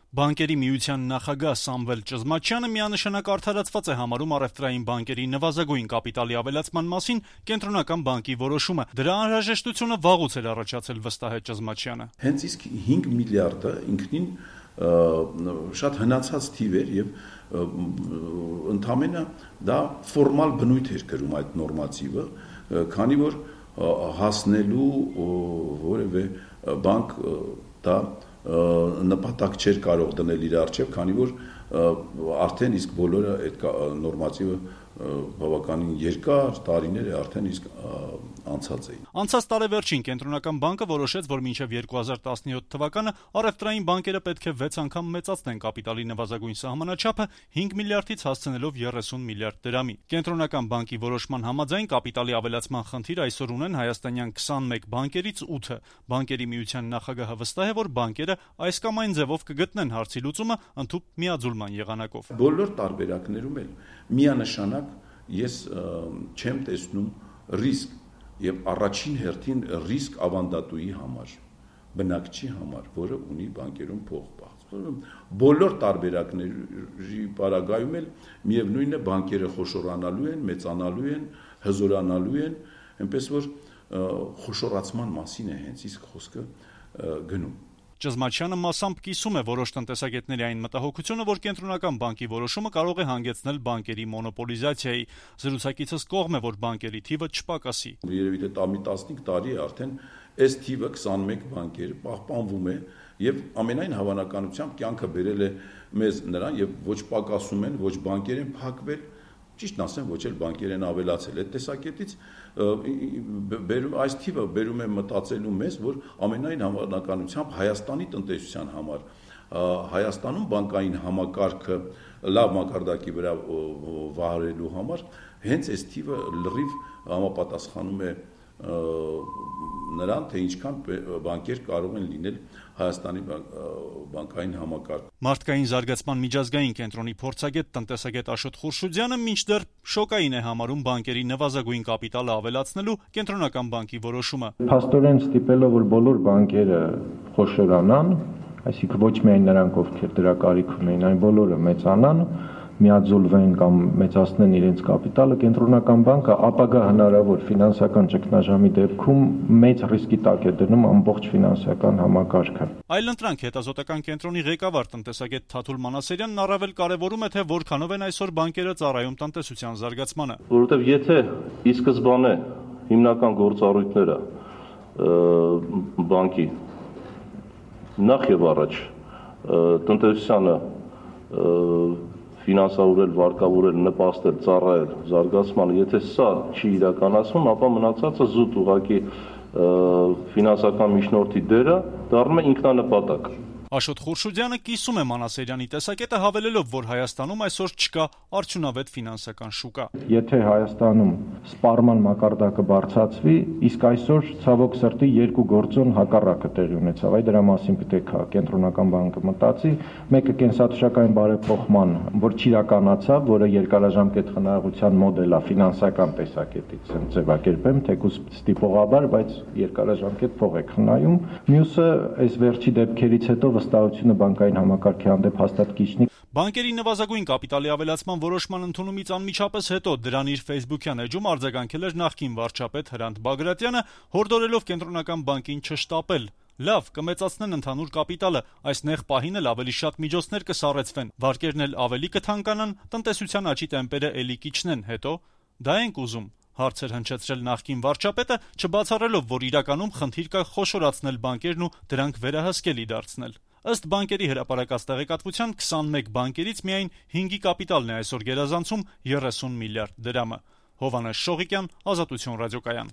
Բանկերի միության նախագահ Սամվել Ճզմաչյանը միանշանակ արդարացված է համարում առևտրային բանկերի նվազագույն կապիտալի ավելացման մասին Կենտրոնական բանկի որոշումը։ Դրա անհրաժեշտությունը վաղուց էր առաջացել, վստահ է Ճզմաչյանը։ Հենց իսկ 5 միլիարդը ինքնին շատ հնացած թիվ էր եւ ընդամենը դա ֆորմալ բնույթ էր կրում այդ նորմատիվը, քանի որ հասնելու որևէ բանկ դա նպատակ չէր կարող դնել իր առջև, քանի որ արդեն իսկ բոլորը այդ նորմատիվը բավականին երկար տարիներ է արդեն իսկ անցած էին։ Անցած տարեվերջին Կենտրոնական բանկը որոշեց, որ մինչև 2017 թվականը առևտրային բանկերը պետք է 6 անգամ մեծացնեն կապիտալի նվազագույն սահմանաչափը 5 միլիարդից հասցնելով 30 միլիարդ դրամի։ Կենտրոնական բանկի որոշման համաձայն կապիտալի ավելացման խնդիր այսօր ունեն հայաստանյան 21 բանկերից 8-ը։ Բանկերի միության նախագահը վստահ է, որ բանկերը այս կամ այն ձևով կգտնեն հարցի լուծումը ընդհուպ միաձուլման եղանակով։ Բոլոր տարբերակներում էլ միանշանակ ես չեմ տեսնում ռիսկ եւ առաջին հերթին ռիսկ ավանդատուի համար, բնակչի համար, որը ունի բանկերում փող պահած։ Բոլոր տարբերակների պարագայում էլ միևնույն է բանկերը խոշորանալու են, մեծանալու են, հզորանալու են, այնպես որ խոշորացման մասին է հենց իսկ խոսքը գնում։ Ճզմաչյանը մասամբ կիսում է որոշ տնտեսագետների այն մտահոգությունը, որ Կենտրոնական բանկի որոշումը կարող է հանգեցնել բանկերի մոնոպոլիզացիայի։ Զրուցակիցս կողմ է, որ բանկերի թիվը չպակասի։ Երևի թե 15 տարի է արդեն այս թիվը 21 բանկեր պահպանվում է եւ ամենայն հավանականությամբ կյանքը բերել է մեզ նրան եւ ոչ պակասում են, ոչ բանկեր են փակվել, ճիշտն ասեմ, ոչ էլ բանկեր են ավելացել։ Այդ տեսակետից այս թիվը բերում է մտածելու մեզ, որ ամենայն հավանականությամբ Հայաստանի տնտեսության համար, Հայաստանում բանկային համակարգը լավ մակարդակի վրա վարելու համար հենց այս թիվը լրիվ համապատասխանում է նրան, թե ինչքան բանկեր կարող են լինել Հայաստանի բանկային համակարգ։ Մարդկային զարգացման միջազգային կենտրոնի փորձագետ տնտեսագետ Աշոտ Խուրշուդյանը մինչդեռ շոկային է համարում բանկերի նվազագույն կապիտալը ավելացնելու Կենտրոնական բանկի որոշումը։ Փաստորեն ստիպելով, որ բոլոր բանկերը խոշորանան, այսինքն ոչ միայն նրանք, ովքեր դրա կարիք ունեն, այլ բոլորը մեծանան, միաձուլվեն կամ մեծացնեն իրենց կապիտալը, Կենտրոնական բանկը ապագա հնարավոր ֆինանսական ճգնաժամի դեպքում մեծ ռիսկի տակ է դնում ամբողջ ֆինանսական համակարգը։ Այլընտրանք հետազոտական կենտրոնի ղեկավար տնտեսագետ Թաթուլ Մանասերյանն առավել կարևորում է, թե որքանով են այսօր բանկերը ծառայում տնտեսության զարգացմանը։ Որովհետև եթե ի սկզբանե հիմնական գործառույթները բանկի նախ եւ առաջ տնտեսությանը ֆինանսավորել, վարկավորել, նպաստել, ծառայել զարգացմանը, եթե սա չի իրականացվում, ապա մնացածը զուտ ուղղակի ֆինանսական միջնորդի դերը դառնում է ինքնանպատակ։ Աշոտ Խուրշուդյանը կիսում է Մանասերյանի տեսակետը, հավելելով, որ Հայաստանում այսօր չկա արդյունավետ ֆինանսական շուկա։ Եթե Հայաստանում սպառման մակարդակը բարձրացվի, իսկ այսօր ցավոք սրտի երկու գործոն հակառակը տեղի ունեցավ։ Այդ դրա մասին պետք է Կենտրոնական բանկը մտածի, մեկը կենսաթոշակային բարեփոխման, որ չիրականացավ, որը երկարաժամկետ խնայողության մոդել է ֆինանսական տեսակետից, ձևակերպեմ, թեկուզ ստիպողաբար, բայց երկարաժամկետ փող է խնայում։ Մյուսը այս վերջի դեպքերից հետո վստահությունը բանկային համակարգի հանդեպ հաստատ կիջնի։ Բանկերի նվազագույն կապիտալի ավելացման որոշման ընդունումից անմիջապես հետո դրան իր Facebook-յան էջում արձագանքել էր նախկին վարչապետ Հրանտ Բագրատյանը, հորդորելով Կենտրոնական բանկին չշտապել։ Լավ, կմեծացնեն ընդհանուր կապիտալը, այս նեղ պահին էլ ավելի շատ միջոցներ կսառեցվեն, վարկերն էլ ավելի կթանկանան, տնտեսության աճի տեմպերը էլի կիջնեն, հետո դա ենք ուզում։ Հարցեր հնչեցրել նախկին վարչապետը, չբացառելով, որ իրականում խնդիր կա խոշորացնել բանկերն ու դրանք վերահսկելի դարձնել։ Ըստ բանկերի հրապարակած տեղեկատվության 21 բանկերից միայն 5-ի կապիտալն է այսօր գերազանցում 30 միլիարդ դրամը։ Հովհաննես Շողիկյան, Ազատություն ռադիոկայան։